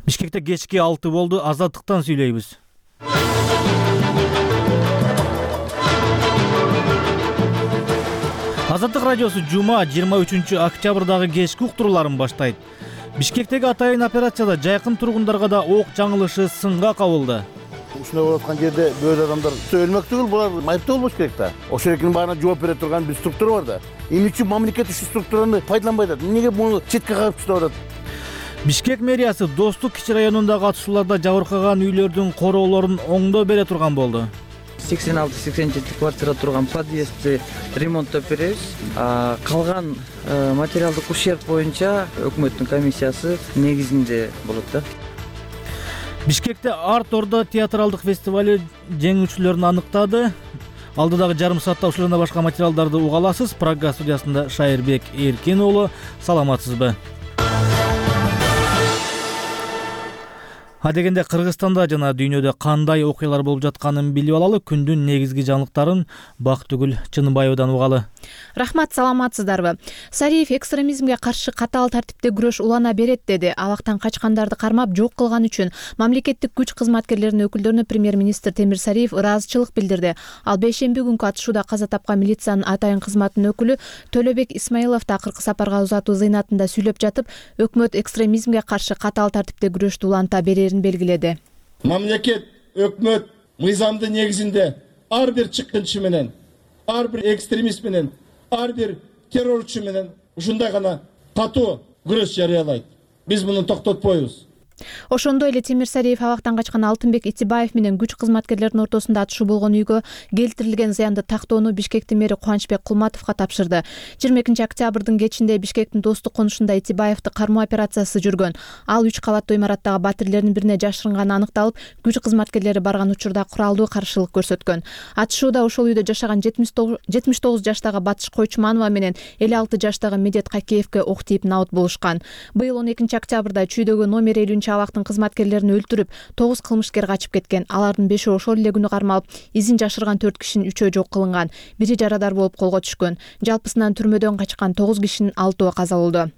Бишкекте кечки 6 болду. Азаттыктан сүйлөйбүз. Азаттык радиосу жума 23 октябрдагы кечки уктурууларын баштайт. Бишкектеги атайын операцияда жайкын тургундарга да ок жаңылышы сынга кабылды. Ушундай болуп аткан жерде бөөлө адамдар өлмөк түгүл, булар майыптуу болбош керек да. Ошол экинин баарына жооп бере турган бир структура бар да. Эмне үчүн мамлекет ушул структураны пайдаланбай атат? Эмнеге муну четке кагып таштап атат? Бишкек мэриясы Достук кичи районундагы атышууларда жабыркаган үйлөрдүн короолорун оңдоо бере турган болду. 86-87 квартирада турган подъездди ремонттоп беребиз. Калган материалдык ущерб боюнча өкмөттүн комиссиясы негизинде болот да. Бишкекте Арт Орда театралдык фестивали жеңүүчүлөрүн аныктады. Алдыдагы жарым саатта ушул жана башка материалдарды уга аласыз. Программа студиясында Шайырбек Эркин уулу. Саламатсызбы? Адегенде Кыргызстанда жана дүйнөдө кандай окуялар болуп жатканын билип алалы. Күндүн негизги жаңылыктарын Бактыгүл Чыныбаевадан угалы. Рахмат, саламатсыздарбы? Сариев экстремизмге каршы катаал тартипте күрөш улана берет деди. Абактан качкандарды кармап жок кылган үчүн мамлекеттик күч кызматкерлеринин өкүлдөрүнө премьер-министр Темир Сариев ыраазычылык билдирди. Ал бейшемби күнкү атышууда каза тапкан милициянын атайын кызматынын өкүлү Төлөбек Исмаилов да акыркы сапарга узатуу зыйнатында сүйлөп жатып, өкмөт экстремизмге каршы катаал тартипте күрөштү уланта берерин белгиледи. Мамлекет, өкмөт мыйзамдын негизинде ар бир чыккынчы менен, ар бир экстремист менен, ар бир террорчу менен ушундай гана катуу күрөш жарыялайт. Биз муну токтотпойбуз. Ошондой эле Темир Сариев абактан качкан Алтынбек Итибаев менен күч кызматкерлеринин ортосунда атышуу болгон үйгө келтирилген зыянды тактоону Бишкектин мэри Кубанычбек Кулматовго тапшырды. 22 октябрдын кечинде Бишкектин Достук конушунда Итибаевди кармоо операциясы жүргөн. Ал 3 кабаттуу имараттагы батирлердин бирине жашырынганы аныкталып, күч кызматкерлери барган учурда куралдуу каршылык көрсөткөн. Атышууда ошол үйдө жашаган 79 жаштагы Батыш Койчуманова менен 56 жаштагы Медет Какеевке ок тийип наут болушкан. Быйыл 12 октябрда чүйдөгү номер 50 абактын кызматкерлерин өлтүрүп, 9 кылмышкер качып кеткен. Алардын 5-і ошол эле күнү кармалып, изин жашырган 4 кишинин 3-і жок кылынган. Бири жарадар болуп колго түшкөн. Жалпысынан түрмөдөн качкан 9 кишинин 6-і каза болду.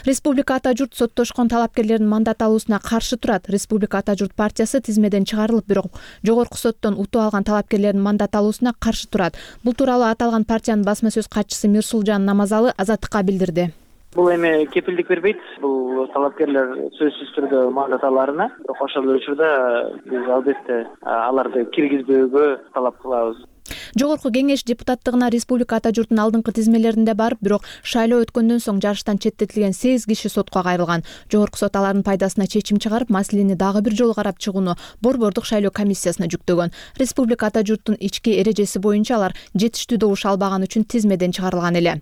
Республика Ата журт соттошкон талапкерлердин мандат алуусуна каршы турат. Республика Ата журт партиясы тизмеден чыгарылып, бирок жогорку соттон утуп алган талапкерлердин мандат алуусуна каршы турат. Бул тууралуу аталган партиянын басма сөз катчысы Мирсулжан Намазалы Азаттыкка билдирди. Бул эми кепилдик бербейт. Бул талапкерлер сөзсүз түрдө мандат аларына. Бирок ошол учурда биз албетте аларды киргизбөөгө талап кылабыз. Жогорку кеңеш депутаттыгына Республика Ата журтунун алдыңкы тизмелеринде барып, бирок шайлоо өткөндөн соң жарыштан четтетилген 8 киши сотко кайрылган. Жогорку сот алардын пайдасына чечим чыгарып, маселени дагы бир жолу карап чыгууну Борбордук шайлоо комиссиясына жүктөгөн. Республика Ата журтунун ички эрежеси боюнча алар жетиштүү добуш албаган үчүн тизмеден чыгарылган эле.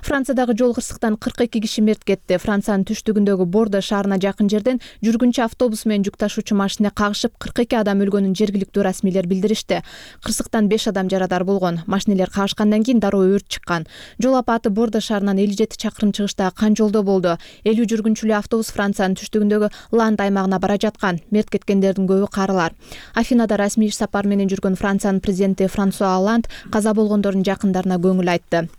Франциядагы жол кырсыктан 42 киши мерт кетти. Франциянын түштүгүндөгү Бордо шаарына жакын жерден жүргүнчү автобус менен жүк ташуучу машина кагышып 42 адам өлгөнүн жергиликтүү расмийлер билдиришти. Кырсыктан 5 адам жарадар болгон. Машинелер кагышкандан кийин дароо өрт чыккан. Жол апаты Бордо шаарынан 57 чакырым чыгыштагы Кан жолдо болду. 50 жүргүнчүлүү автобус Франциянын түштүгүндөгү Ланд аймагына бара жаткан. Мерт кеткендердин көбү карылар. Афинада расмий иш сапар менен жүргөн Франциянын президенти Франсуа Олланд каза болгондордун жакындарына көңүл айтты.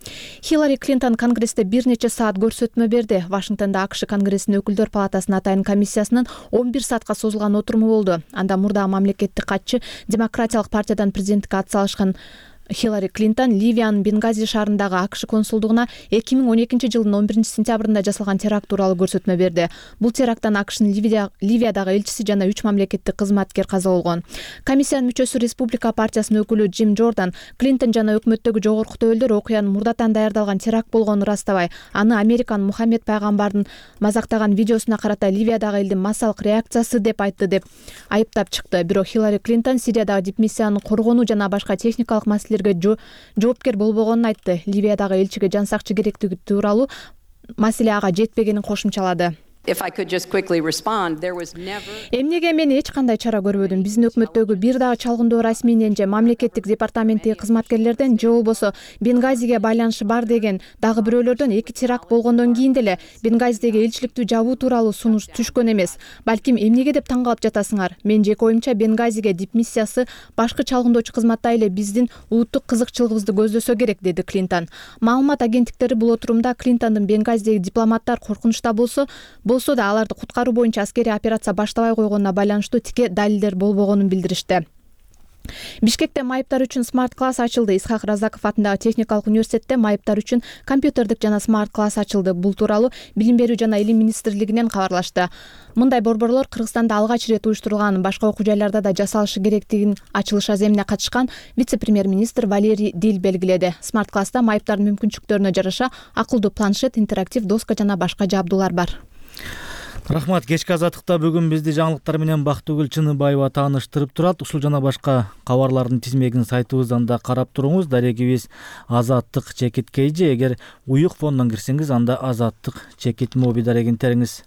Хиллари Клинтон Конгрессте бир нече саат көрсөтмө берди. Вашингтонда АКШ Конгрессинин өкүлдөр палатасынын атайын комиссиясынын 11 саатка созулган отуруму болду. Анда мурдагы мамлекеттик катчы Демократиялык партиядан президенттикке ат салышкан Хиллари Клинтон Ливиянын Бенгази шаарындагы АКШ консулдугуна 2012 жылдын 11 сентябрында жасалган теракт тууралуу көрсөтмө берди. Бул теракттан АКШнын Ливиядагы элчиси жана 3 мамлекеттик кызматкер каза болгон. Комиссиянын мүчөсү Республика партиясынын өкүлү Джим Джордан Клинтон жана өкмөттөгү жогорку төбөлдөр окуянын мурдатан даярдалган теракт болгонун ырастабай, аны Американын Мухаммед пайгамбардын мазактаган видеосуна карата Ливиядагы элдин массалык реакциясы деп айтты деп айыптап чыкты. Бирок Хиллари Клинтон Сириядагы дипмиссияны коргонуу жана башка техникалык маселелерге жоопкер болбогонун айтты. Ливиядагы элчиге жан сакчы керектиги тууралуу маселе ага жетпегенин кошумчалады. Эмнеге мен эч кандай чара көрбөдүм. Биздин өкмөттөгү бир дагы чалгындоо расмийнен же мамлекеттик департаменттеги кызматкерлерден же болбосо Бенгазиге байланышы бар деген дагы бирөөлөрдөн 2 теракт болгондон кийин деле Бенгазидеги элчиликтү жабуу тууралуу сунуш түшкөн эмес. Балким эмнеге деп таң калып жатасыңар? Мен жеке оюмча Бенгазиге дипмиссиясы башкы чалгындоочу кызматтай эле биздин улуттук кызыкчылыгыбызды көздөсө керек, деди Клинтон. Маалымат агенттиктери бул отурумда Клинтондун Бенгазидеги дипломаттар коркунучта болсо, болсо да аларды куткаруу боюнча аскерий операция баштабай койгонуна байланыштуу тике далилдер болбогонун билдиришти. Бишкекте майыптар үчүн смарт класс ачылды. Исхак Разаков атындагы техникалык университетте майыптар үчүн компьютердик жана смарт класс ачылды. Бул тууралуу Билим берүү жана Илим министрлигинен кабарлашты. Мындай борборлор Кыргызстанда алгач ирет уюштурулган, башка окуу жайларда да жасалышы керектигин ачылыш аземине катышкан вице-премьер-министр Валерий Дил белгиледи. Смарт класста майыптардын мүмкүнчүлүктөрүнө жараша акылдуу планшет, интерактив доска жана башка жабдуулар бар. Рахмат. Кечки азаттыкта бүгүн бизди жаңылыктар менен Бактыгүл Чыныбаева тааныштырып турат. Ушул жана башка кабарлардын тизмегин сайтыбыздан да карап туруңуз. Дарегибиз Азаттык чекит KG. Эгер уюк фондон кирсеңиз, анда Азаттык чекит моби дарегин териңиз.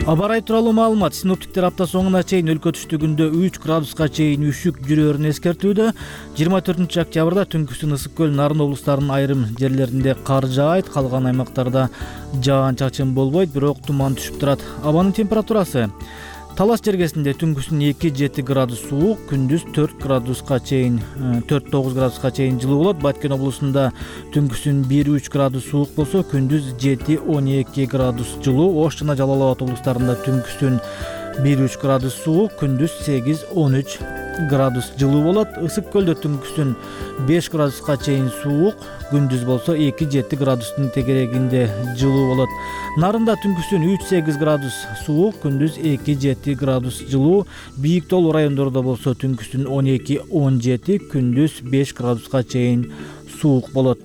Аба ырайы тууралуу маалымат. Синоптиктер апта соңуна чейин өлкө түштүгүндө 3 градуска чейин үшүк жүрөөрүн эскертүүдө. 24 октябрда түнкүсүн Ысык көл, Нарын облустарынын айрым жерлеринде кар жаайт, калган аймактарда жаан-чачын болбойт, бирок туман түшүп турат. Абанын температурасы: Талас жергесинде түнкүсүн 2-7 градус суук, күндүз 4-9 градуска чейин жылуу болот. Баткен облусунда түнкүсүн 1-3 градус суук болсо, күндүз 7-12 градус жылуу. Ош жана Жалал Абад облустарында түнкүсүн 1-3 градус суук, күндүз 8-13 градус жылуу болот. Ысык көлдө түнкүсүн 5 градуска чейин суук, күндүз болсо 2-7 градустун тегерегинде жылуу болот. Нарында түнкүсүн 3-8 градус суук, күндүз 2-7 градус жылуу. Бийик тоолуу райондордо болсо түнкүсүн 12-17, күндүз 5 градуска чейин суук болот.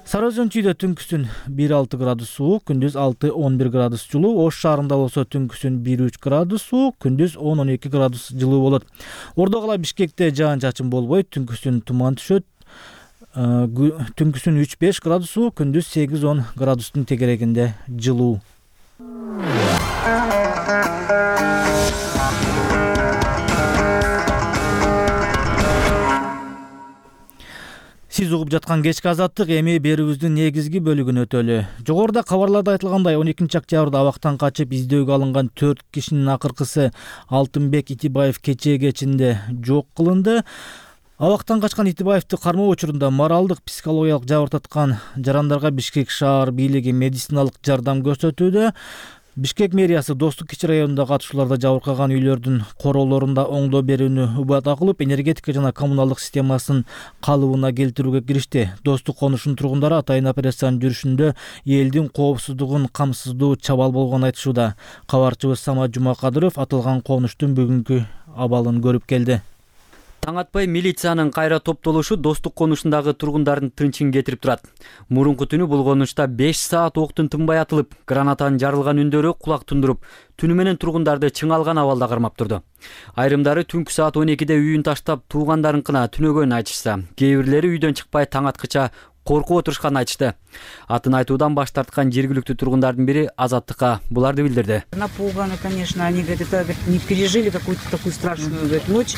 Сары Өзөн-Чүйдө түнкүсүн 1-6 градус суук, күндүз 6-11 градус жылуу. Ош шаарында болсо түнкүсүн 1-3 градус суук, күндүз 10-12 градус жылуу болот. Ордо кала Бишкекте жаан-чачын болбойт, түнкүсүн туман түшөт. Түнкүсүн 3-5 градус суук, күндүз 8-10 градустун тегерегинде жылуу. Сиз угуп жаткан кечки азаттык, эми берүүбүздүн негизги бөлүгүн өтөлү. Жогоруда кабарларда айтылгандай 12 октябрда абактан качып издөөгө алынган 4 кишинин акыркысы Алтынбек Итибаев кечээ кечинде жок кылынды. Абактан качкан Итибаевди кармоо учурунда моралдык, психологиялык жабыр таткан жарандарга Бишкек шаар бийлиги медициналык жардам көрсөтүүдө. Бишкек мэриясы Достук кичи районунда катышууларда жабыркаган үйлөрдүн короолорунда оңдоо берүүнү убада кылып, энергетика жана коммуналдык системасын калыбына келтирүүгө киришти. Достук конушунун тургундары атайын операциянын жүрүшүндө элдин коопсуздугун камсыздоо чабал болгонун айтышууда. Кабарчыбыз Самат Жумакадыров аталган конуштун бүгүнкү абалын көрүп келди. Таң атпай милициянын кайра топтолушу Достук конушундагы тургундардын тынчын кетирип турат. Мурунку түнү бул конушта 5 саат октун тынбай атылып, гранатанын жарылган үндөрү кулак тундуруп, түнү менен тургундарды чыңалган абалда кармап турду. Айрымдары түнкү саат 12-де үйүн таштап туугандарынкына түнөгөнүн айтышса, кээ бирлери үйдөн чыкпай таң аткыча коркуп отурушканын айтышты. Атын айтуудан баш тарткан жергиликтүү тургундардын бири Азаттыкка буларды билдирди. Напуганы, конечно, они говорят, не пережили какую-то такую страшную ночь.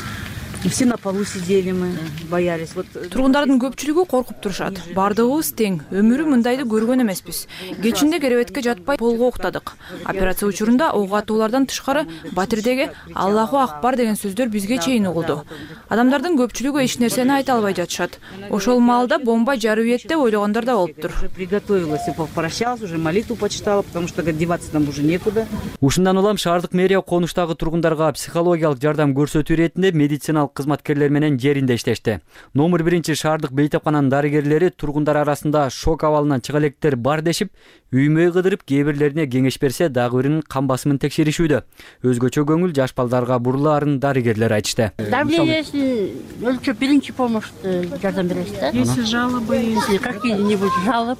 И все на полу сидели, мы боялись. Тургундардын көпчүлүгү коркуп турушат. Бардыгыбыз тең. Өмүрү мындайды көргөн эмеспиз. Кечинде керебетке жатпай полго уктадык. Операция учурунда ок атуулардан тышкары батирдеги Аллаху акбар деген сөздөр бизге чейин угулду. Адамдардын көпчүлүгү эч нерсени айта албай жатышат. Ошол маалда бомба жарып ийет деп ойлогондор да болуптур. Приготовилась и попрощалась, уже молитву почитала, потому что деваться нам уже некуда. Ушундан улам шаардык мэрия конуштагы тургундарга психологиялык жардам көрсөтүү иретинде медициналык кызматкерлер менен жеринде иштешти. Номер 1 шаардык бейтапкананын дарыгерлери тургундар арасында шок абалынан чыга электер бар дешип, үймөй кыдырып, кээ бирлерине кеңеш берсе, дагы биринин кан басымын текшеришүүдө. Өзгөчө көңүл жаш балдарга бурулаарын дарыгерлер айтышты. Давлениесин өлчөп, биринчи помощь жардам беребиз да. Если жалобы, если какие-нибудь жалоб,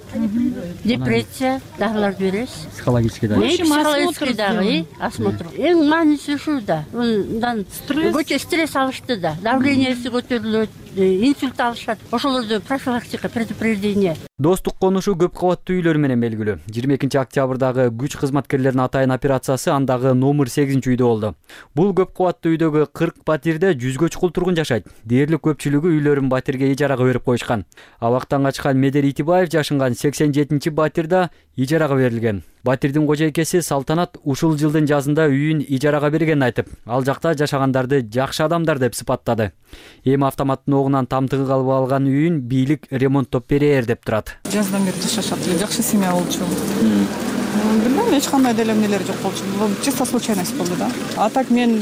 депрессия, дагыларды беребиз. Психологический да. Психологический дагы осмотр. Эң мааниси ушул да. Мындан стресс алышты да. Давлениеси көтөрүлөт, инсульт алышат. Ошолорду профилактика, предупреждение. Достук конушу көп кабаттуу үйлөр менен белгилүү. 22 октябрдагы күч кызматкерлеринин атайын операциясы андагы номер 8-үйдө болду. Бул көп кабаттуу үйдөгү 40 батирде 100гө чукул тургун жашайт. Дээрлик көпчүлүгү үйлөрүн батирге ижарага берип коюшкан. Абактан качкан Медер Итибаев жашынган 87 батирда ижарага берилген. Батирдин кожойкеси Салтанат ушул жылдын жазында үйүн ижарага бергенин айтып, ал жакта жашагандарды жакшы адамдар деп сыпаттады. Эми автоматтын огунан тамтыгы калып алган үйүн бийлик ремонттоп берээр деп турат. Жаздан бери жашашат эле, жакшы семья болчу. Билбейм, эч кандай деле эмнелери жок болчу. Чисто случайность болду да. А так мен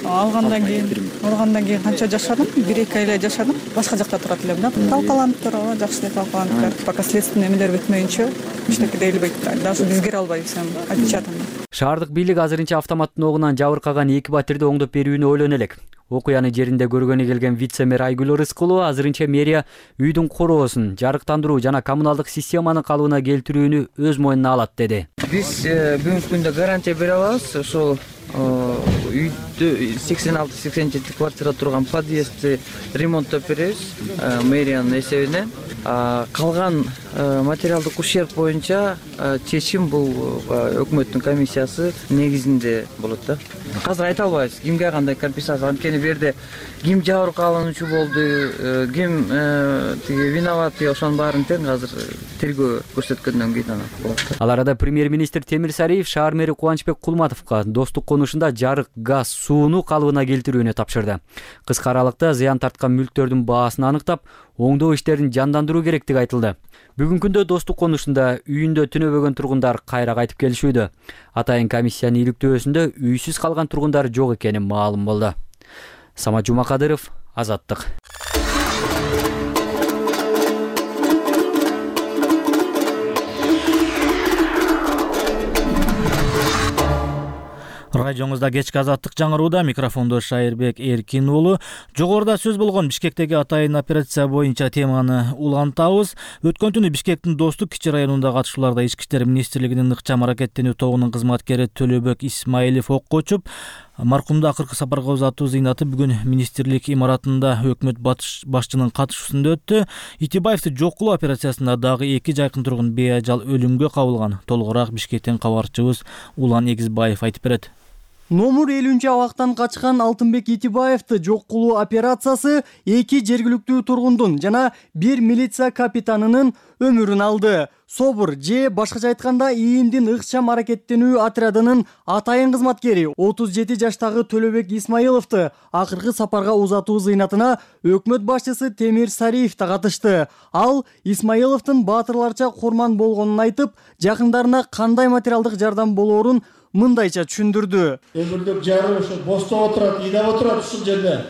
алгандан кийин канча жашадым? 1-2 ай эле жашадым. Башка жакта турат элем да. Талкаланып туруп, жакшы эле талкаланып, пока следственный эмелер бүтмөйүнчө эчтеке дейилбейт. Даже бизге албайбыз эми, отпечатанный. Шаардык бийлик азырынча автоматтын огунан жабыркаган 2 батирди оңдоп берүүнү ойлоно элек. Окуяны жеринде көргөнү келген вице-мэр Айгүл Рыскулова азырынча мэрия үйдүн короосун, жарыктандыруу жана коммуналдык системаны калыбына келтирүүнү өз мойнуна алат деди. Биз бүгүнкү күндө гарантия бере алабыз. Ошол үйдө 86-87 квартирада турган подъездди ремонттоп беребиз мэриянын эсебинен. Калган материалдык ущерб боюнча чечим бул өкмөттүн комиссиясы негизинде болот да. Азыр айта албайбыз кимге кандай компенсация, анткени бу жерде ким жабыркалануучу болду, ким тиги виноваты, ошонун баарын тең азыр тергөө көрсөткөндөн кийин ана болот. Ал арада премьер-министр Темир Сариев шаар мэри Кубанычбек Кулматовго достук конушунда жарык, газ, сууну калыбына келтирүүнү тапшырды. Кыска аралыкта зыян тарткан мүлктөрдүн баасын аныктап, оңдоо иштерин жандандыруу керектиги айтылды. Бүгүнкү күндө достук конушунда үйүндө түнөбөгөн тургундар кайра кайтып келишүүдө. Атайын комиссиянын иликтөөсүндө үйсүз калган тургундар жок экени маалым болду. Самат Жумакадыров, Азаттык. Радиоңузда кечки Азаттык жаңырууда, микрофондо Шайырбек Эркин уулу. Жогоруда сөз болгон Бишкектеги атайын операция боюнча теманы улантабыз. Өткөн түнү Бишкектин Достук кичи районунда катышууларда Ички иштер министрлигинин ыкчам аракеттенүү тобунун кызматкери Төлөбек Исмаилов ок кочуп, маркумду акыркы сапарга узатуу зыйнаты бүгүн министрлик имаратында өкмөт башчынын катышуусунда өттү. Итибаевди жок кылуу операциясында дагы 2 жайкын тургун беажал өлүмгө кабылган. Толугураак Бишкектен кабарчыбыз Улан Эгизбаев айтып берет. Номур 50 абактан качкан Алтынбек Итибаевди жок кылуу операциясы 2 жергиликтүү тургундун жана 1 милиция капитанынын өмүрүн алды. Собур же башкача айтканда ИИМдин ыкчам аракеттенүү отрядынын атайын кызматкери 37 жаштагы Төлөбек Исмаиловду акыркы сапарга узатуу зыйнатына өкмөт башчысы Темир Сариев да катышты. Ал Исмаиловдун баатырларча курман болгонун айтып, жакындарына кандай материалдык жардам болоорун мындайча түшүндүрдү. Өмүрлүк жары ошо бостоп отурат, ыйдап отурат ушул жерде.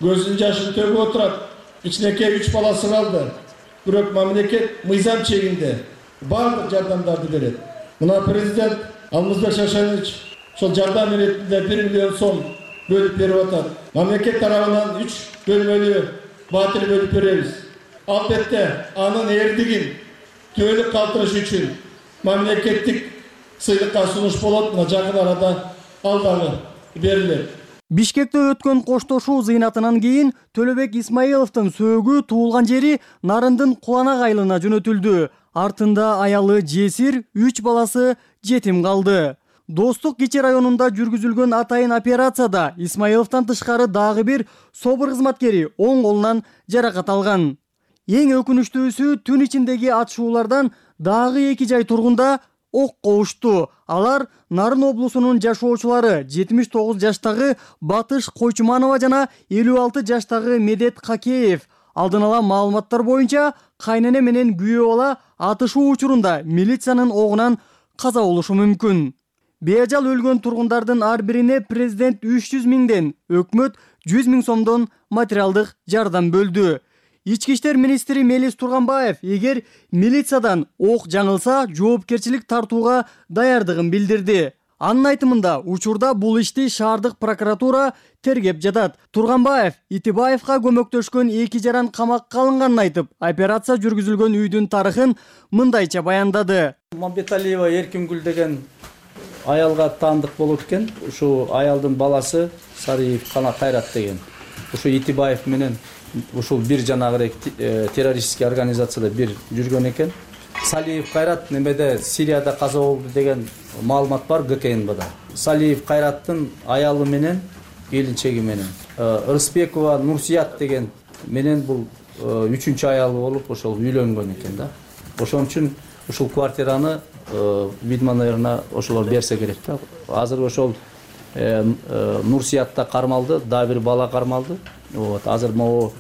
Көзүнүн жашын төгүп отурат. Кичинекей 3 баласы калды. Бирок мамлекет мыйзам чегинде барлык жардамдарды берет. Мына президент Алмазбек Шашанович ошол жардам иретинде 1 миллион сом бөлүп берип атат. Мамлекет тарабынан 3 бөлмөлүү батир бөлүп беребиз. Албетте анын эрдигин түбөлүк калтырыш үчүн мамлекеттик сыйлыкка сунуш болот. Мына жакын арада ал дагы берилет. Бишкекте өткөн коштошуу зыйнатынан кийин Төлөбек Исмаиловдун сөөгү туулган жери Нарындын Куланак айылына жөнөтүлдү. Артында аялы жесир, 3 баласы жетим калды. Достук кичи районунда жүргүзүлгөн атайын операцияда Исмаиловдон тышкары дагы бир собур кызматкери оң колунан жаракат алган. Эң өкүнүчтүүсү түн ичиндеги атышуулардан дагы 2 жай тургунда ок коушту. Алар Нарын облусунун жашоочулары 79 жаштагы Батыш Койчуманова жана 56 жаштагы Медет Какеев. Алдын ала маалыматтар боюнча кайнене менен күйөө бала атышуу учурунда милициянын огунан каза болушу мүмкүн. Беажал өлгөн тургундардын ар бирине президент 300 миңден, өкмөт 100 миң сомдон материалдык жардам бөлдү. Ички иштер министри Мелис Турганбаев эгер милициядан ок жаңылса жоопкерчилик тартууга даярдыгын билдирди. Анын айтымында учурда бул ишти шаардык прокуратура тергеп жатат. Турганбаев Итибаевга көмөктөшкөн 2 жаран камакка алынганын айтып, операция жүргүзүлгөн үйдүн тарыхын мындайча баяндады. Мамбеталиева Эркингүл деген аялга таандык болот экен. Ушу аялдын баласы Сариев Кана Кайрат деген. Ушу Итибаев менен ушул бир жанагы террористический организацияда бир жүргөн экен. Салиев Кайрат немеде Сирияда каза болду деген маалымат бар ГКНБда. Салиев Кайраттын аялы менен келинчеги менен Рыспекова Нурсият деген менен бул 3-аялы болуп ошол үйлөнгөн экен да. Ошон үчүн ушул квартираны видимо, наверное, ошолор берсе керек да. Азыр ошол Нурсиятта кармалды, дагы бир бала кармалды. Вот, азыр могу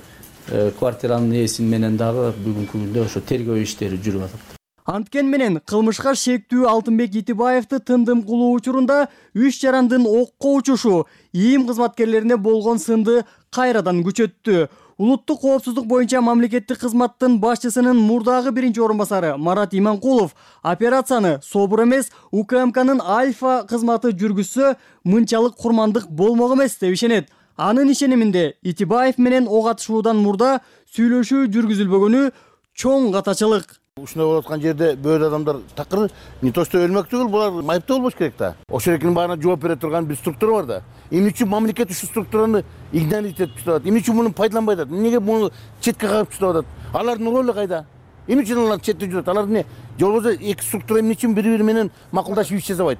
квартиранын ээси менен дагы бүгүнкү күндө ошо тергөө иштери жүрүп атат. Анткен менен кылмышка шектүү Алтынбек Итибаевди тындым кылуу учурунда 3 жарандын окко учушу ИИМ кызматкерлерине болгон сынды кайрадан күчөттү. Улуттук коопсуздук боюнча мамлекеттик кызматтын башчысынын мурдагы биринчи орун басары Марат Иманкулов операцияны СОБУР эмес, УКМКнын Альфа кызматы жүргүзсө мынчалык курмандык болмок эмес деп ишенет. Анын ишениминде Итибаев менен ок атышуудан мурда сүйлөшүү жүргүзүлбөгөнү чоң катачылык. Ушундай болуп аткан жерде бөөдө адамдар такыр не то что өлмөк түгүл, булар майыптуу болбош керек да. Ошол эркинин баарына жооп бере турган бир структура бар да. Эмне үчүн мамлекет ушул структураны игнорить этип турат? Эмне үчүн муну пайдаланбай атат? Эмнеге муну четке кагып туруп атат? Алардын ролу кайда? Эмне үчүн алар четте жүрөт? Алар эмне? Же болбосо эки структура эмне үчүн бири-бири менен макулдашып иш жасабайт?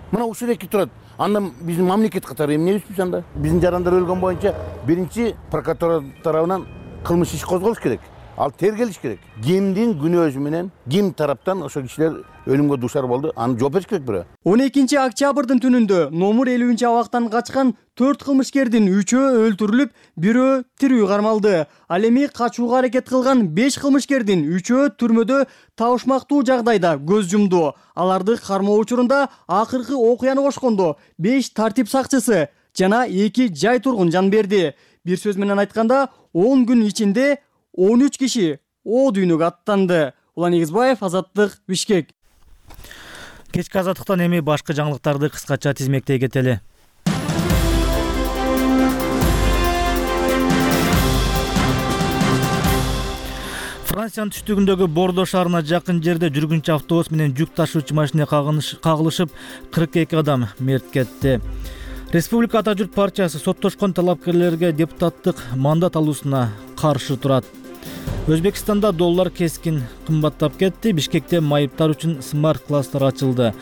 Мына ушул эки турат. Андан биздин мамлекет катары эмнебизбиз анда? Биздин жарандар өлгөн боюнча биринчи прокуратура тарабынан кылмыш иш козголуш керек. Ал тергелиш керек. Кимдин күнөөсү менен, ким тараптан ошол кишилер өлүмгө дуушар болду, аны жооп бериш керек бирөө. 12 октябрдын түнүндө номер 50 абактан качкан 4 кылмышкердин 3-өө өлтүрүлүп, 1-өө тирүү кармалды. Ал эми качууга аракет кылган 5 кылмышкердин 3-өө түрмөдө табышмактуу жагдайда көз жумду. Аларды кармоо учурунда акыркы окуяны кошкондо 5 тартип сакчысы жана 2 жай тургун жан берди. Бир сөз менен айтканда, 10 күн ичинде 13 киши о дүйнөгө аттанды. Улан Эгизбаев, Азаттык, Бишкек. Кечки азаттыктан эми башка жаңылыктарды кыскача тизмектей кетели. Франциянын түштүгүндөгү Бордо шаарына жакын жерде жүргүнчү автобус менен жүк ташуучу машина кагылышып 42 адам мерт кетти. Республика Ата журт партиясы соттошкон талапкерлерге депутаттык мандат алуусуна каршы турат. Өзбекстанда доллар кескин кымбаттап кетти. Бишкекте майыптар үчүн смарт-класстар ачылды.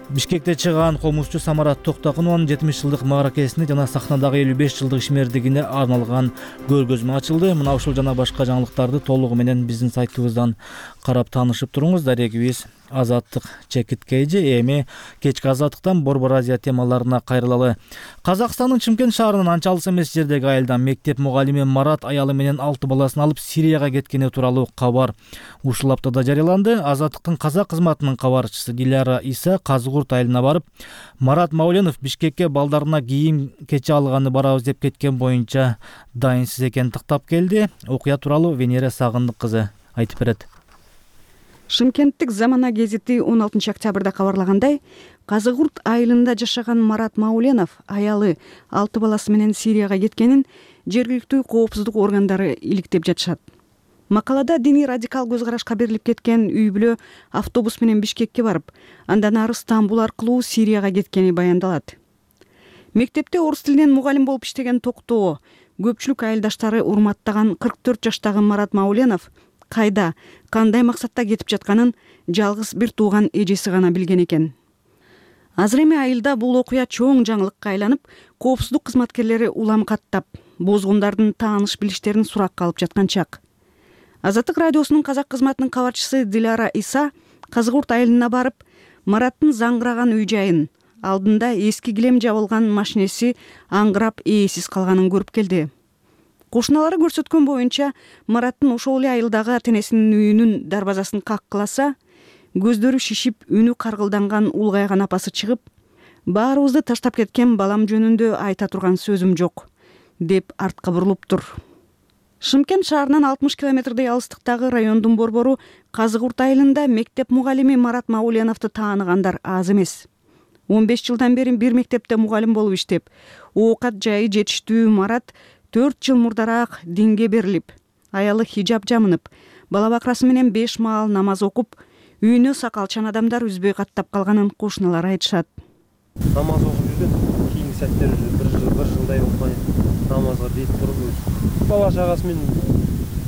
Бишкекте чыган комузчу Самарат Токтакунованын 70 жылдык мааракесине жана сахнадагы 55 жылдык ишмердигине арналган көргөзмө ачылды. Мына ушул жана башка жаңылыктарды толугу менен биздин сайтыбыздан карап таанышып туруңуз. Дарегибиз Азаттык чекиткейжи. Эми кечки азаттыктан Борбор Азия темаларына кайрылалы. Казакстандын Чымкент шаарынын анча алыс эмес жердеги айылдан мектеп мугалими Марат аялы менен 6 баласын алып Сирияга кеткени тууралуу кабар ушул аптада жарыяланды. Азаттыктын казак кызматынын кабарчысы Диляра Иса Казыгурт айылына барып, Марат Мауленов Бишкекке балдарына кийим кече алганы барабыз деп кеткен боюнча дайынсыз экенин тактап келди. Окуя тууралуу Венера Сагындык кызы айтып берет. Шымкенттик Замана гезити 16 октябрда кабарлагандай, Казыгурт айылында жашаган Марат Мауленов аялы 6 баласы менен Сирияга кеткенин жергиликтүү коопсуздук органдары иликтеп жатышат. Макалада диний радикал көз карашка берилип кеткен үй бүлө автобус менен Бишкекке барып, андан ары Стамбул аркылуу Сирияга кеткени баяндалат. Мектепте орус тилинен мугалим болуп иштеген Токтоо көпчүлүк айылдаштары урматтаган 44 жаштагы Марат Мауленов кайда, кандай максатта кетип жатканын жалгыз бир тууган эжеси гана билген экен. Азыр эми айылда бул окуя чоң жаңылыкка айланып, коопсуздук кызматкерлери улам каттап, бозгундардын тааныш билиштерин суракка алып жаткан чак. Азаттык радиосунун казак кызматынын кабарчысы Диляра Иса Казыгурт айылына барып, Мараттын заңгыраган үй жайын, алдында эски килем жабылган машинеси аңгырап ээсиз калганын көрүп келди. Кошуналары көрсөткөн боюнча, Мараттын ошол эле айылдагы ата-энесинин үйүнүн дарбазасын каккыласа, көздөрү шишип, үнү каргылданган улгайган апасы чыгып, баарыбызды таштап кеткен балам жөнүндө айта турган сөзүм жок, деп артка бурулуптур. Шымкент шаарынан 60 километрдей алыстыктагы райондун борбору Казыгурт айылында мектеп мугалими Марат Мауленовду тааныгандар аз эмес. 15 жылдан бери бир мектепте мугалим болуп иштеп, оокат жайы жетиштүү Марат 4 жыл мурдараак динге берилип, аялы хижаб жамынып, бала бакрасы менен 5 маал намаз окуп, үйүнө сакалчан адамдар үзбөй каттап калганын кошуналары айтышат. Намаз окуп жүргөн, кийинки сәттер бир жылдай окуган намазга дейт туруп, бала чагасы менен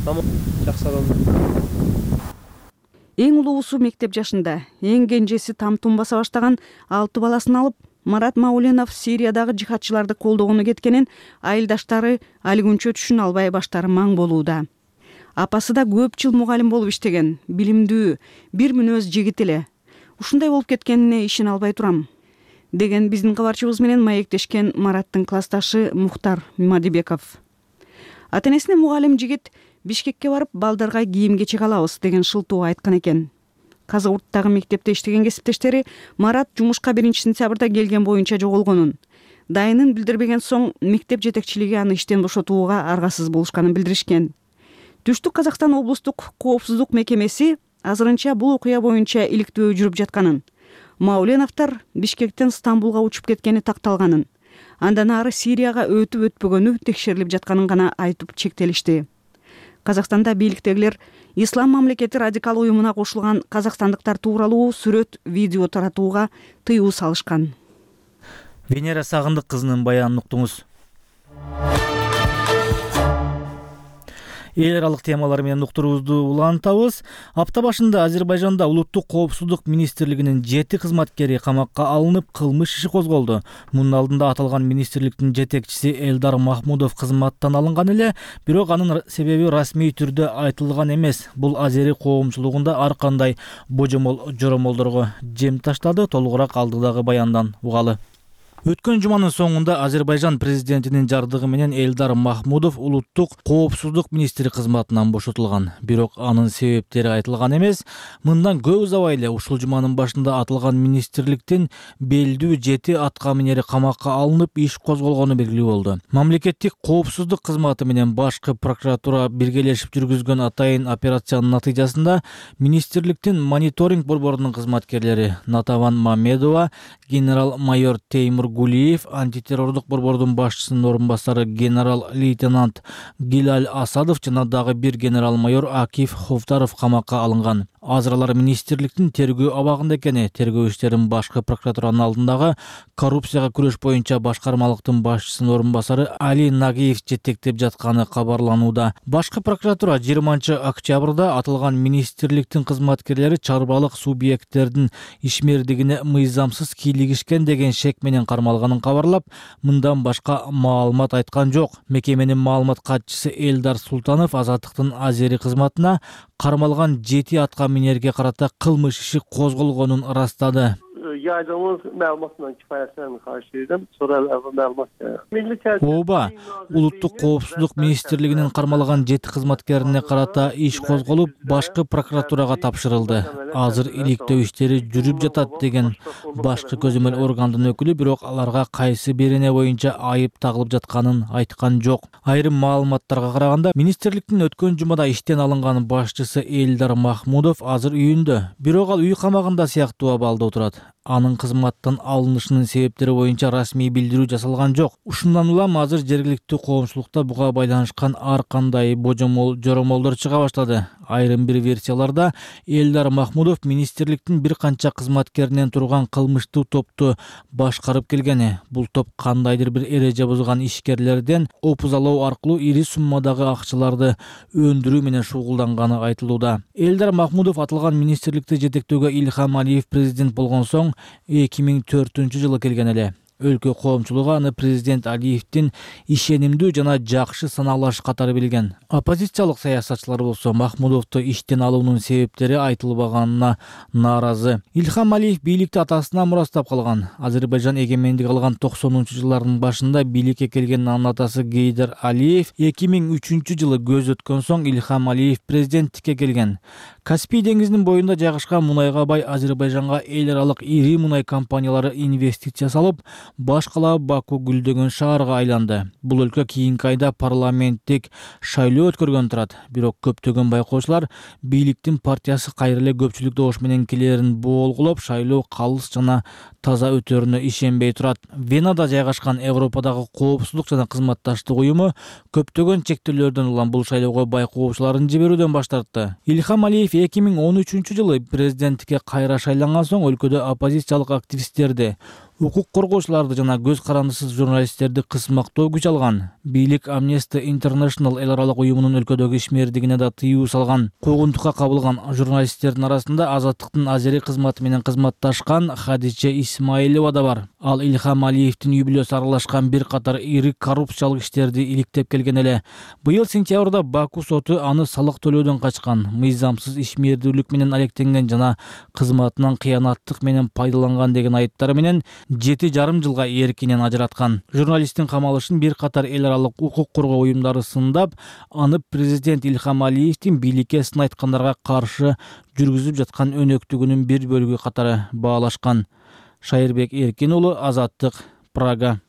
намаз жакшы адам. Эң улуусу мектеп жашында, эң кенжеси там-тум баса баштаган 6 баласын алып, Марат Мауленов Сириядагы жихадчыларды колдогону кеткенин айылдаштары али күнчө түшүнө албай баштары маң болууда. Апасы да көп жыл мугалим болуп иштеген, билимдүү, бир мүнөз жигит эле. ушундай болуп кеткенине ишене албай турам, деген биздин кабарчыбыз менен маектешкен Мараттын классташы Мухтар Мимадибеков. Ата энесине мугалим жигит Бишкекке барып балдарга кийим кечек алабыз деген шылтоо айткан экен. Казы Урттагы мектепте иштеген кесиптештери Марат жумушка 1-сентябрда келген боюнча жоголгонун, дайынын билдирбеген соң мектеп жетекчилиги аны иштен бошотууга аргасыз болушканын билдиришкен. Түштүк Казакстан облустук коопсуздук мекемеси азырынча бул окуя боюнча иликтөө жүрүп жатканын, Мауленовдор Бишкектен Стамбулга учуп кеткени такталганын, андан ары Сирияга өтүп өтпөгөнү текшерилип жатканын гана айтып чектелишти. Казакстанда бийликтегилер Ислам мамлекети радикал уюмуна кошулган казакстандыктар тууралуу сүрөт, видео таратууга тыюу салышкан. Венера Сагындык кызынын баянын уктуңуз. Эл аралык темалар менен уктуруубузду улантабыз. Апта башында Азербайжанда улуттук коопсуздук министрлигинин 7 кызматкери камакка алынып, кылмыш иши козголду. Мунун алдында аталган министрликтин жетекчиси Элдар Махмудов кызматтан алынган эле, бирок анын себеби расмий түрдө айтылган эмес. Бул азери коомчулугунда ар кандай божомол-жоромолдорго жем таштады. Толугураак алдыдагы баяндан угалы. Өткөн жуманын соңунда Азербайжан президентинин жардыгы менен Элдар Махмудов улуттук коопсуздук министри кызматынан бошотулган. Бирок анын себептери айтылган эмес. Мындан көп узабай эле ушул жуманын башында аталган министрликтин белдүү 7 аткаминери камакка алынып, иш козголгону белгилүү болду. Мамлекеттик коопсуздук кызматы менен башкы прокуратура биргелешип жүргүзгөн атайын операциянын натыйжасында министрликтин мониторинг борборунун кызматкерлери Натаван Мамедова, генерал-майор Теймур Гулиев, антитеррордук борбордун башчысынын орун басары генерал-лейтенант Гилаль Асадов жана дагы бир генерал-майор Акиф Хофтаров камакка алынган. Азыр министрликтин тергөө абагында экени, тергөө иштерин башкы прокуратуранын алдындагы коррупцияга күрөш боюнча башкармалыктын башчысынын орун басары Али Нагиев жетектеп жатканы кабарланууда. Башкы прокуратура 20-октябрда аталган министрликтин кызматкерлери чарбалык субъекттердин ишмердигине мыйзамсыз кийлигишкен деген шек менен кармалганын кабарлап, мындан башка маалымат айткан жок. Мекеменин маалымат катчысы Элдар Султанов Азаттыктын азери кызматына кармалган 7 аткаминерге карата кылмыш иши козголгонун ырастады. Yaydığımız məlumatla kifayətlənmir karşılaydım. Sonra məlumat. Ооба, улуттук коопсуздук министрлигинин кармалган 7 кызматкерине карата иш козголуп, башкы прокуратурага тапшырылды. Азыр иликтөө иштери жүрүп жатат деген башкы көзөмөл органдын өкүлү, бирок аларга кайсы бирине боюнча айып тагылып жатканын айткан жок. Айрым маалыматтарга караганда, министрликтин өткөн жумада иштен алынган башчысы Элдар Махмудов азыр үйүндө, бирок ал үй камагында сыяктуу абалда отурат. Анын кызматтан алынышынын себептери боюнча расмий билдирүү жасалган жок. Ушундан улам азыр жергиликтүү коомчулукта буга байланышкан ар кандай божомол-жоромолдор чыга баштады. Айрым бир версияларда Элдар Махмудов министрликтин бир канча кызматкеринен турган кылмыштуу топту башкарып келгени. Бул топ кандайдыр бир эреже бузган ишкерлерден опузалоо аркылуу ири суммадагы акчаларды өндүрүү менен шугулданганы айтылууда. Элдар Махмудов аталган министрликти жетектөөгө Ильхам Алиев президент болгон соң 2004-жылы келген эле. Өлкө коомчулугу аны президент Алиевдин ишенимдүү жана жакшы саналаш катары билген. Оппозициялык саясатчылар болсо Махмудовду иштен алуунун себептери айтылбаганына нааразы. Ильхам Алиев бийликти атасынан мурастап калган. Азербайжан эгемендик алган 90-жылдардын башында бийликке келген анын атасы Гейдар Алиев 2003-жылы көз өткөн соң Ильхам Алиев президенттикке келген. Каспий деңизинин боюнда жайгашкан мунайга бай Азербайжанга эл аралык ири мунай компаниялары инвестиция салып, баш кала Баку гүлдөгөн шаарга айланды. Бул өлкө кийинки айда парламенттик шайлоо өткөргөн турат. Бирок көптөгөн байкоочулар бийликтин партиясы кайра эле көпчүлүк добуш менен келерин болгулоп, шайлоо калыс жана таза өтөрүнө ишенбей турат. Венада жайгашкан Европадагы коопсуздук жана кызматташтык уюму көптөгөн чектөөлөрдөн улам бул шайлоого байкоочуларын жиберүүдөн баш тартты. Ильхам Алиев 2013-жылы президенттикке кайра шайланган соң өлкөдө оппозициялык активисттерди, укук коргоочуларды жана көз карандысыз журналисттерди кысмактоо күч алган. Бийлик Amnesty International эл аралык уюмунун өлкөдөгү ишмердигине да тыюу салган. Куугунтукка кабылган журналисттердин арасында Азаттыктын азери кызматы менен кызматташкан Хадиче Исмаилова да бар. Ал Ильхам Алиевдин үй бүлөсү аралашкан бир катар ири коррупциялык иштерди иликтеп келген эле. Быйыл сентябрда Баку соту аны салык төлөөдөн качкан, мыйзамсыз ишмердүүлүк менен алектенген жана кызматынан кыянаттык менен пайдаланган деген айыптары менен 7,5 жылга эркинен ажыраткан. Журналисттин камалышын бир катар эл аралык укук коргоо уюмдары сындап, аны президент Ильхам Алиевдин бийликке сын айткандарга каршы жүргүзүп жаткан өнөктүгүнүн бир бөлүгү катары баалашкан. Шайырбек Эркин уулу, Азаттык, Прага.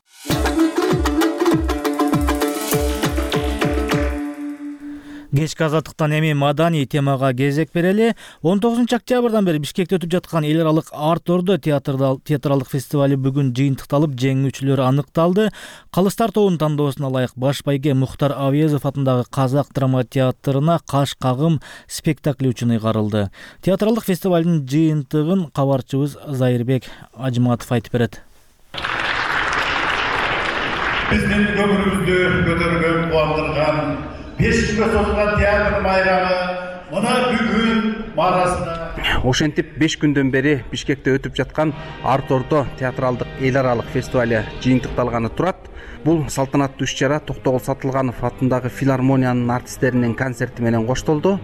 Кечки Азаттыктан эми маданий темага кезек берели. 19 октябрдан бери Бишкекте өтүп жаткан эл аралык Арт-Ордо театралдык фестивали бүгүн жыйынтыкталып, жеңүүчүлөр аныкталды. Калыстар тобунун тандоосуна ылайык баш байге Мухтар Авезов атындагы Казак драма театрына Каш кагым спектакли үчүн ыйгарылды. Театралдык фестивалдын жыйынтыгын кабарчыбыз Зайырбек Ажматов айтып берет. Биздин көңүлүбүздү көтөргөн, кубандырган 5 күнгө созулган театр майрамы мына бүгүн маарасында. Ошентип 5 күндөн бери Бишкекте өтүп жаткан Арт-Ордо театралдык эл аралык фестивали жыйынтыкталганы турат. Бул салтанаттуу иш-чара Токтогул Сатылганов атындагы филармониянын артисттеринин концерти менен коштолду.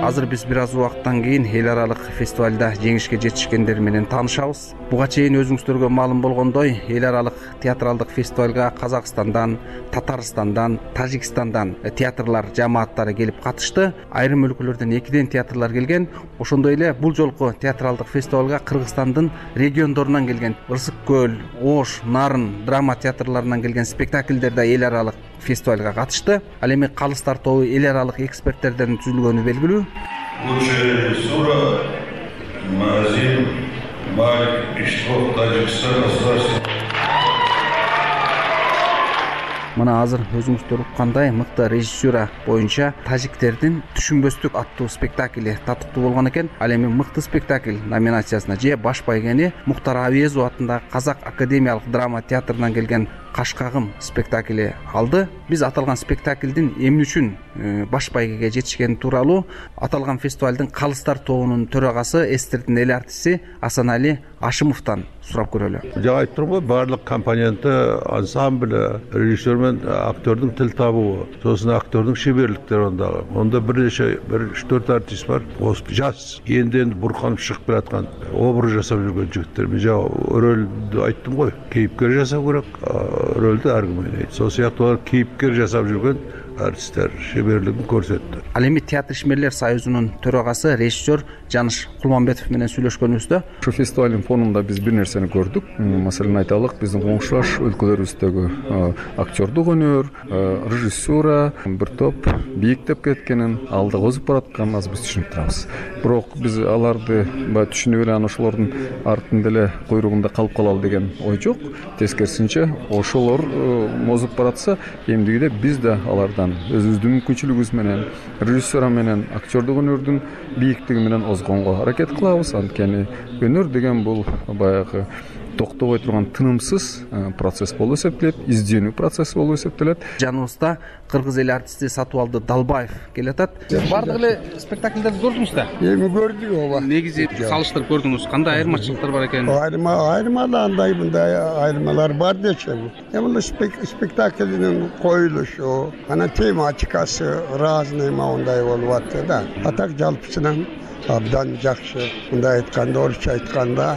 Азыр биз бир аз убакыттан кийин эл аралык фестивалда жеңишке жетишкендер менен таанышабыз. Буга чейин өзүңүздөргө маалым болгондой, эл аралык театралдык фестивалга Казакстандан, Татарстандан, Тажикстандан театрлар жамааттары келип катышты. Айрым өлкөлөрдөн 2ден театрлар келген. Ошондой эле бул жолку театралдык фестивалга Кыргызстандын региондорунан келген Ырсык көл, Ош, Нарын драма театрларынан келген спектакльдер да эл аралык фестивалга катышты. Ал эми калыстар тобу эл аралык эксперттерден түзүлгөнү белгилүү. Лучшая режиссура Мазин Малик Иштвов, Таджикстан государственный. Мына азыр өзүңүздөр уккандай мыкты режиссура боюнча тажиктердин Түшүнбөстүк аттуу спектакли татыктуу болгон экен. Ал эми мыкты спектакль номинациясына же баш байгени Мухтар Авезов атындагы Казак академиялык драма театрынан келген Каш кагым спектакли алды. Биз аталган спектаклдин эмне үчүн баш байгеге жетишкени тууралуу аталган фестивалдын калыстар тобунун төрагасы, эстердин эл артисти Асанали Ашымовдон сурап көрөлү. Жага айтып турмун, баардык компоненти, ансамбль, режиссер менен актердун тил табуу, сосын актердун шеберликтери ондагы. Онда бир 3-4 артист бар. Жас, енді бурканып чыгып келаткан образ жасап жүргөн жигиттер. Мен жана рөлдү айттым го, кейипкер жасап керек, рөлдү ар ким ойнойт. Сол сыяктуу кейипкер жасап жүргөн артисттер шеберлигин көрсөттү. Ал эми Театр ишмерлер союзунун төрагасы, режиссер Жаныш Кулманбетов менен сүйлөшкөнүбүздө ушу фестивалдын фонунда биз бир нерсени көрдүк. Маселен айталык, биздин коңшулаш өлкөлөрүбүздөгү актердук өнөр, режиссура бир топ бийиктеп кеткенин, алда козуп баратканын биз түшүнүп турабыз. Бирок биз аларды түшүнүп эле ошолордун артында эле куйругунда калып калалы деген ой жок. Тескерисинче, ошолор мозуп баратса, эмдигиде биз да алардан өзүбүздүн мүмкүнчүлүгүбүз менен, режиссура менен, актердук өнөрдүн бийиктиги менен озгонго аракет кылабыз. Анткени өнөр деген бул баягы токтобой турган тынымсыз процесс болуп эсептелет, изденүү процесси болуп эсептелет. Жаныбызда кыргыз эл артисти Сатыбалды Далбаев келатат. Сиз бардык эле спектакльдерди көрдүңүз да? Эми көрдүк ооба. Негизи салыштырып көрдүңүз, кандай айырмачылыктар бар экен? Айырмаландай мындай айырмалар бар дечем. Эми спектакльдин коюлушу, анан тематикасы разный мындай болуп атты да. Атак жалпысынан абдан жакшы. Мындай айтканда, орусча айтканда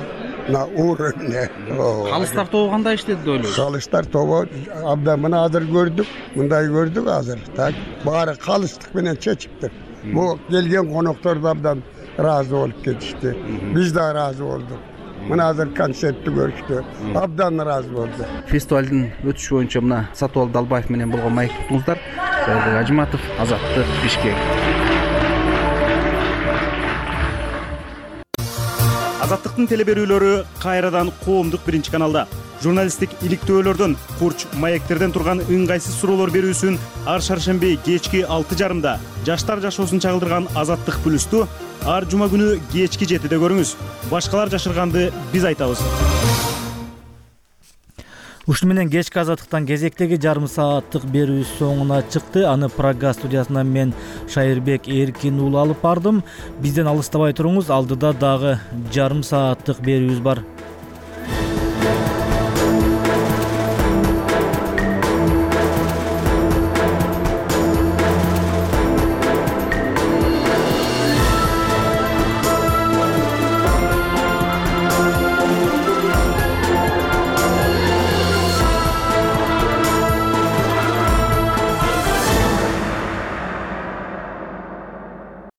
на уровне. Калыстар тобу кандай иштеди деп ойлойсуз? Калыстар тобу абдан мына азыр көрдүк, мындай көрдүк азыр. Так, баары калыстык менен чечиптир. Бул келген коноктор да абдан ыраазы болуп кетишти. Биз да ыраазы болдук. Мына азыр концертти көрүштү. Абдан ыраазы болду. Фестивалдын өтүшү боюнча мына Сатыбалды Далбаев менен болгон майк туттуңуздар. Зайырбек Ажматов, Азаттык, Бишкек. Азаттыктын телеберүүлөрү кайрадан коомдук биринчи каналда. Журналисттик иликтөөлөрдөн, курч, маектерден турган ыңгайсыз суроолор берүүсүн ар шаршемби кечки 6:30 жаштар жашоосун чагылдырган Азаттык плюсту ар жума күнү кечки 7:00 көрүңүз. Башкалар жашырганды биз айтабыз. Ушуну менен кечки азаттыктан кезектеги жарым сааттык берүүбүз соңуна чыкты. Аны Прага студиясынан мен Шайырбек Эркин уулу алып бардым. Бизден алыстабай туруңуз, алдыда дагы жарым сааттык берүүбүз бар.